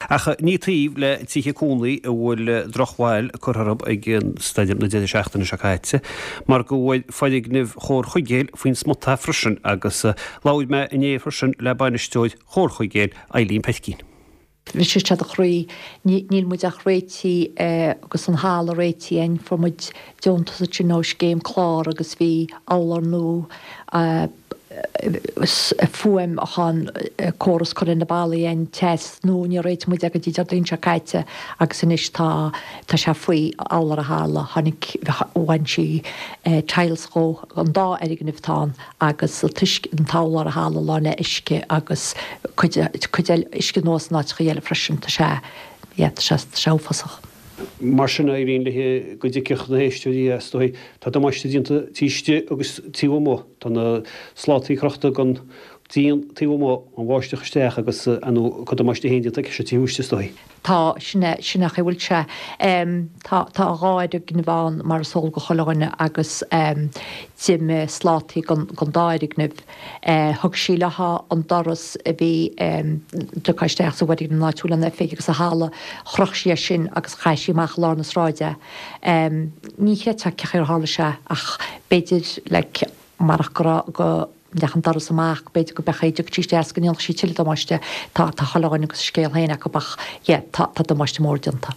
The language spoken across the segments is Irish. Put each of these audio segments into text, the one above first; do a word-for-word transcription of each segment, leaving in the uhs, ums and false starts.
Ach ní taobh le tithe cónaí a bhfuil drochbhail curtha orthu ag an stoirm na deireadh seachtaine seo caite, mar go bhfuil foirgnimh Chomhar Chuigéil faoin smut freisin agus labhair mé inné freisin le bainisteoir Chomhar Chuigéil, Eileen Peircín. Bhris sé do chroí. Níl muid ach réitithe agus an halla réitithe againn. Fuair muid deontas ansin ó scéim clár agus bhí urlár nua, fuaim achan córas curtha ar na ballaí againn, teas nua, níor réitigh muid é go dtí Déardaoin seo caite agus anois tá tá sé faoi urlár an halla. Tháinig, bhain sí tiles dhó, an dá fhoirgneamh atá ann agus an t-uisce, an t-urlár an halla lán le uisce agus cuid cuid eile uisce anuas in áiteacha eile freisin. Tá sé, yeah, tá sé, tá sé uafásach. Mar sin éiríonn léi go dtuigfeadh na héisteoirí is dóigh, tá damáiste déanta taobh istigh agus taobh amuigh. Tá na slátaí crochta den díon taobh amuigh, an bháisteach isteach agus ar ndóigh cuid damáiste féin déanta aici seo taobh istigh is dóigh. Tá, sin é, sin é an chaoi a bhfuil sé. Tá, tá dhá fhoirgneamh ann mar is eol go chuile dhuine agus d'imigh slátaí den, den dá fhoirgneamh. Thug sí léi an doras a bhí tugtha isteach sa bhfoirgneamh an áit a bhfuil an oifig agus an halla, chroch sí é sin agus chaith sí amach i lár na sráide é. Ní chreidfeá cén chaoi ar tharla sé ach b'fhéidir like marach go raibh, go mbeadh an doras amach, b'fhéidir go mbeadh, dtiocfadh sí isteach is go ndéanfadh sí tuilleadh damáiste. Tá, tá chuile dhuine agus a scéal féin acu ach yeah, tá, tá damáiste mór déanta.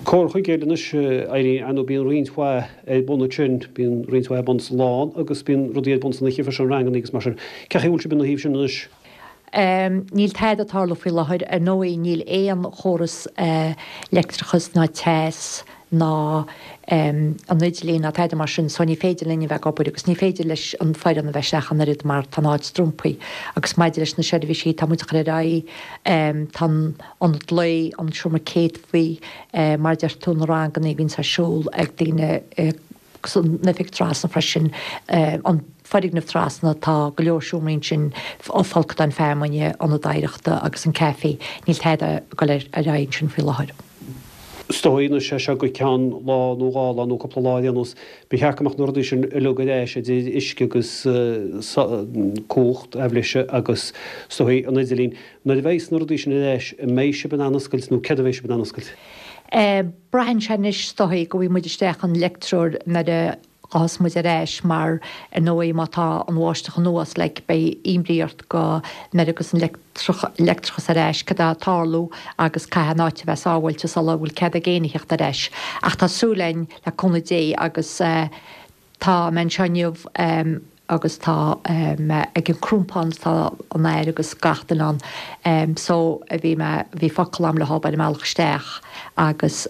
Comhar Chuigéil anois, Irene, ar ndóigh bíonn roinnt mhaith ar bun ansin, bíonn roinnt mhaith ar bun sa lán agus bíonn rudaí ar bun san oíche freisin, ranganna agus mar sin. Cén chaoi a bhfuil sibh ina thaobh sin anois? Níl tada ag tarlú faoi láthair. Ar ndóigh níl aon chóras leictreachas ná teas ná an idirlíon ná tada mar sin so ní féidir linn a bheith ag obair agus ní féidir leis an foireann a bheith isteach an oiread mar tá an áit strompaithe. Agus maidir leis na seirbhísí tá muid ag cur ar aghaidh, tá an ionad lae, an seomra céadfaí, mar a deir tú na ranganna a bhíonns ar siúl ag daoine agus an oifig trasna freisin, an foirgneamh trasna, tá go leor seomraí ansin, folcadáin feamainne, ionad oidhreachta agus an caife, níl tada ag dul ar aghaidh ansin faoi láthair. Is dóigh anois é seo go ceann lá nó dhá lá nó cúpla lá ar aon nós, ba cheart go mbeadh na rudaí sin uilig ar ais, idir uisce agus cumhacht, aibhléise agus is dóigh an idirlíon. Nuair a bheidh na rudaí sin ar ais, an mbeidh sibh in ann oscailt nó céard a bheidh sibh in ann oscailt? Braitheann sé anois is dóigh go bhfaighidh muid isteach an leictreoir nuair a ghabhfas muid ar ais mar ar ndóigh má tá an bháisteach anuas like beidh imní ort go nuair a ghabhfas an leictreachas ar ais cad atá ag tarlú agus caithfidh an áit a bheith sábháilte sula bhfuil cead ag éinne theacht ar ais. Ach tá súil againn le cúnamh Dé agus tá mé anseo inniu agus tá mé ag an Crompán tá an Aire agus gach duine ann so bhí mé, bhí focal a'm leo ar an mbealach isteach agus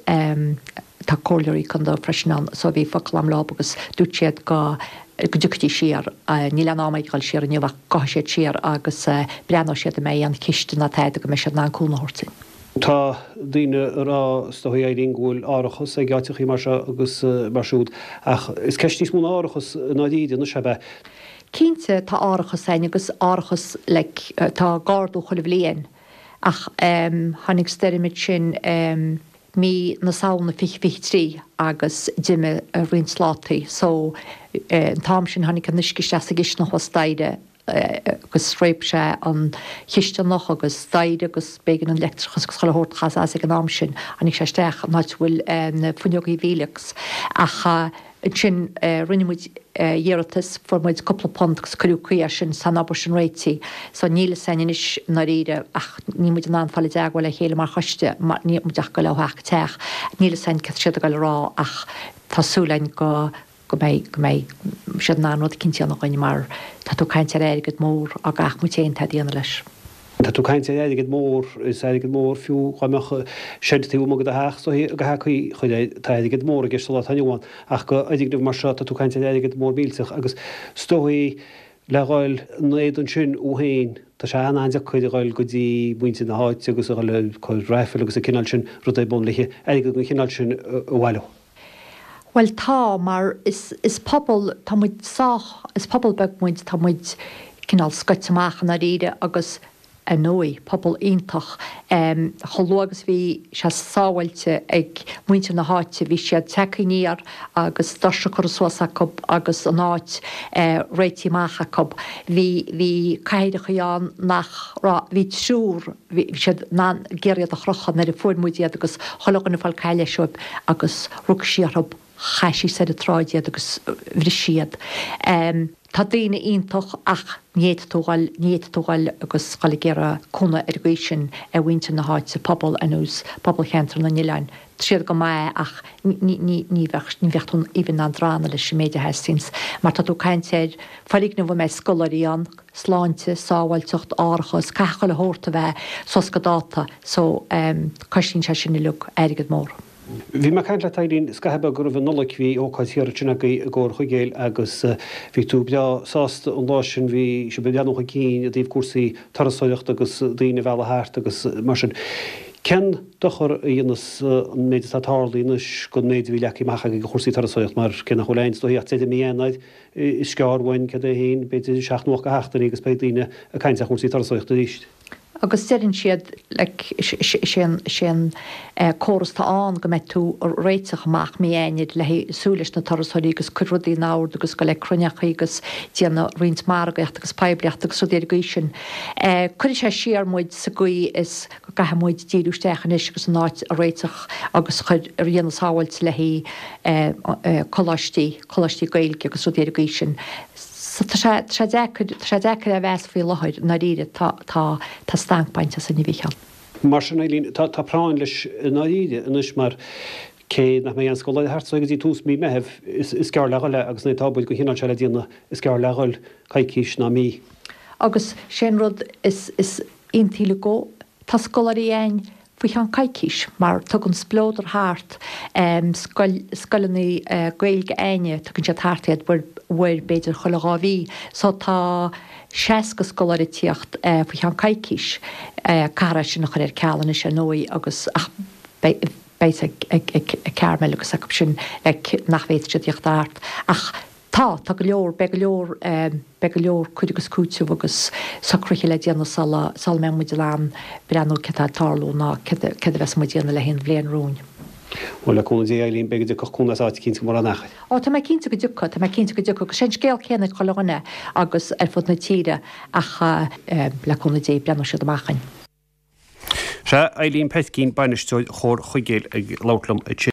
tá comhairleoirí contae freisin ann so bhí focal a'm leo agus dúirt siad go go dtiocfaidís siar, níl aon am ag dul siar inniu ach gabhfaidh siad siar agus breathnóidh siad an mbeidh aon chiste ná tada go mbeidh siad in ann cúnamh a thabhairt dúinn. Tá daoine ag rá, is dóigh, Irene, go bhfuil árachas ag áiteachaí mar seo agus mar siúd, ach is ceist níos mó ná árachas i ndáiríre anois, ab ea? Cinnte, tá árachas againn agus árachas like tá ag ardú chuile bhliain ach tháinig stoirm ansin mí na Samhna fiche fiche trí agus d'imigh roinnt slátaí so an t-am sin tháinig an uisce isteach sa gcisteanach thuas staighre agus réab sé an chisteanach agus staighre agus b'éigean an leictreachas agus chuile shórt a chasadh as ag an am sin. Tháinig sé isteach an áit a bhfuil na fuinneogaí Velux ach ansin rinne muid iarratas, fuair muid cúpla punt agus cuireadh caoi air sin, tá an obair sin réitithe. So níl fhios againn anois i ndáiríre ach níl muid in ann fáil i dteagmháil le chéile mar choiste mar níl muid ach ag goil ó theach go teach. Níl fhios againn cad tá siad ag goil a rá ach tá súil againn go go mbeidh, go mbeidh siad in ann rud eicínt a dhéanamh dhuinn mar tá tú ag caint ar airgead mór á gcaith muid féin tada a dhéanamh leis. Tá tú ag caint ar airgead mór, is airgead mór fiú dhá mbeadh seid taobh amuigh de do theach is dóichí go heacaí chuir é, tá airgead mór i gceist sa lá atá inniu ann ach go fhoirgneamh mar seo tá tú ag caint ar airgead mór millteach agus is dóichí le dhul in éadan sin ó féin tá sé an-an-deacair a dhul go dtí muintir na háite agus a dhul ag cur raifil agus an cineál sin rud ar bun le airgead den chineál sin a bhailiú. Bhuel tá, mar is, is pobal, tá muid sách, is pobal beag muid, tá muid cineál scoite amach i ndáiríre agus Ar ndóigh, pobal iontach. Chomh luath agus bhí sé sábháilte ag muintir na háite, bhí siad tagtha aniar agus doirse curtha suas acu agus an áit réitithe amach acu. Bhí, bhí cathaoireachaí ann nach raibh, bhí triúr, bhí siad in ann ag iarraidh iad a chrochadh nuair a fuair muid iad agus chuile dhuine ag fáil caith leis agus rug sí orthu. Chaith sí soir an tsráid iad agus bhris sí iad. Tá daoine iontach ach ní fhéadfaidh tú dhul, ní fhéadfaidh tú dhul agus dhul ag iarraidh cúnamh ar an gcaoi sin ar mhuintir na háite, pobal ar nós pobal Cheantar na nOileán. Tá siad go maith ach ní, ní, ní bheadh, ní bheadh tú even in ann drannadh leis an méid a theastaíonns mar tá tú ag caint ar foirgneamh a mbeidh scoláirí ann, sláinte, sábháilteacht, árachas, caithfidh chuile shórt a bheith suas go dáta so cosnaíonn sé sin uilig airgead mór. Bhí mé ag caint leat Eileen scaitheamh beag roimh an Nollaig, bhí ócáid thiar ansin agaibh i gComhar Chuigéil agus bhí tú breá sásta an lá sin, bhí sibh ag breathnú chun cinn i dtaobh cúrsaí turasóireachta agus daoine a mhealladh thart agus mar sin. Cén dochar a dhéanas an méid atá tarlaithe anois don méid a bhí leagtha amach agaibh do chúrsaí turasóireachta mar cé nach bhfuil aon is dóichí ach deireadh mí Eanáir, is gearr uainn céard é féin, b'fhéidir seacht nó ocht de sheachtainí agus beidh daoine ag caint ar chúrsaí turasóireachta arís. Agus deireann siad like is é an is é an córas atá ann go mbeidh tú ag réiteach amach mí Eanáir le haghaidh súil leis na turasóirí agus cur rudaí in ord agus goil ag cruinneachaí agus déanamh roinnt margaíochta agus poiblíochta agus rudaí ar an gcaoi sin. Cuirfidh sé siar muid sa gcaoi is go gcaithfidh muid díriú isteach anois agus an áit a réiteach agus chur a dhéanamh sábháilte le haghaidh coláistí, coláistí Gaeilge agus rudaí ar an gcaoi sin. So tá sé, tá sé deacair, tá sé deacair a mheas faoi láthair, i ndáiríre, tá, tá, tá stanc bainte asainn, a Mhícheáil. Mar sin, Eileen, tá, tá práinn leis i ndáiríre anois mar cé nach mbeidh aon scoláire thart so go dtí tús mí Meithimh, is, is gearr le dhul é agus nuair atá obair den chineál seo le déanamh, is gearr le dhul coicís ná mí. Agus sé an rud is, is iontaí uilig go, tá scoláirí a'ainn faoi cheann coicís mar tugann Spleodar thart scoil, scoileanna Gaeilge a'ainne, tugann siad thart iad uair, uair b'fhéidir chuile dhá mhí. So tá seasca scoláire ag tíocht faoi cheann coicís. Caithfear é sin a chur ar ceal anois ar ndóigh agus ach beidh, beidh ag, ag, ag, ag Carmel agus acu sin like nach bhféadfaidh siad tíocht thart ach Tá, tá go leor, beidh go leor, beidh go leor cur agus cúiteamh agus socruithe le déanamh sula, sula mbeidh muid in ann breathnú céard atá ag tarlú ná céard, céard a bheas muid a dhéanamh le haghaidh an bhliain romhainn. Bhuel, le cúnamh Dé, Eileen, beidh go dtiocfadh cúnamh as áit eicínt go mór an achair. Ó, tá mé cinnte go dtiocfaidh, tá mé cinnte go dtiocfaidh, agus sé an scéal céanna ag chuile dhuine agus ar fud na tíre ach le cúnamh Dé, breathnóidh siad amach againn. Sea, Eileen Petkeen, Bainisteoir Chomhar Chuigéil ag labhairt liom ansin.